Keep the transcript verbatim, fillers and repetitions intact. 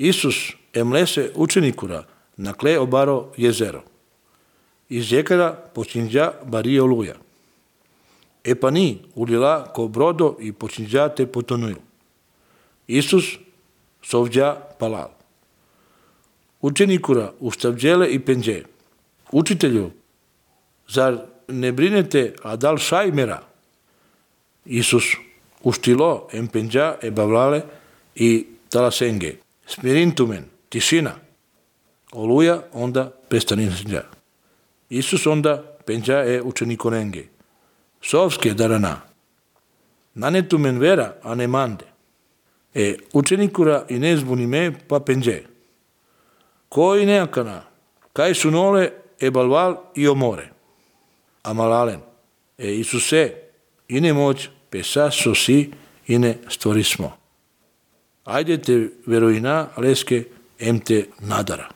Isus emlese učenikura na cle obaro jezero. Iz jekara počinđa bario luja. E pa ni ulila ko brodo i počinđa te potonuju. Isus sovđa palal. Učenikura ustavđele i penđe. Učitelju, zar ne brinete a dal šajmera? Isus uštilo em penđa e bavlale i talasenge. Smirintumen, tišina. Oluja onda prestaninđa. Isus onda penđa e učenikorenge. Sovske darana. Nanetumen vera, a ne mande. E učenikura i ne zbunime pa penđe. Koji neakana, kaj su nole e balval i omore. Amalalen, e Isuse, ine moć, pesa sosi, ine stvorismo. Ajde te veroina, leske, em te nadara.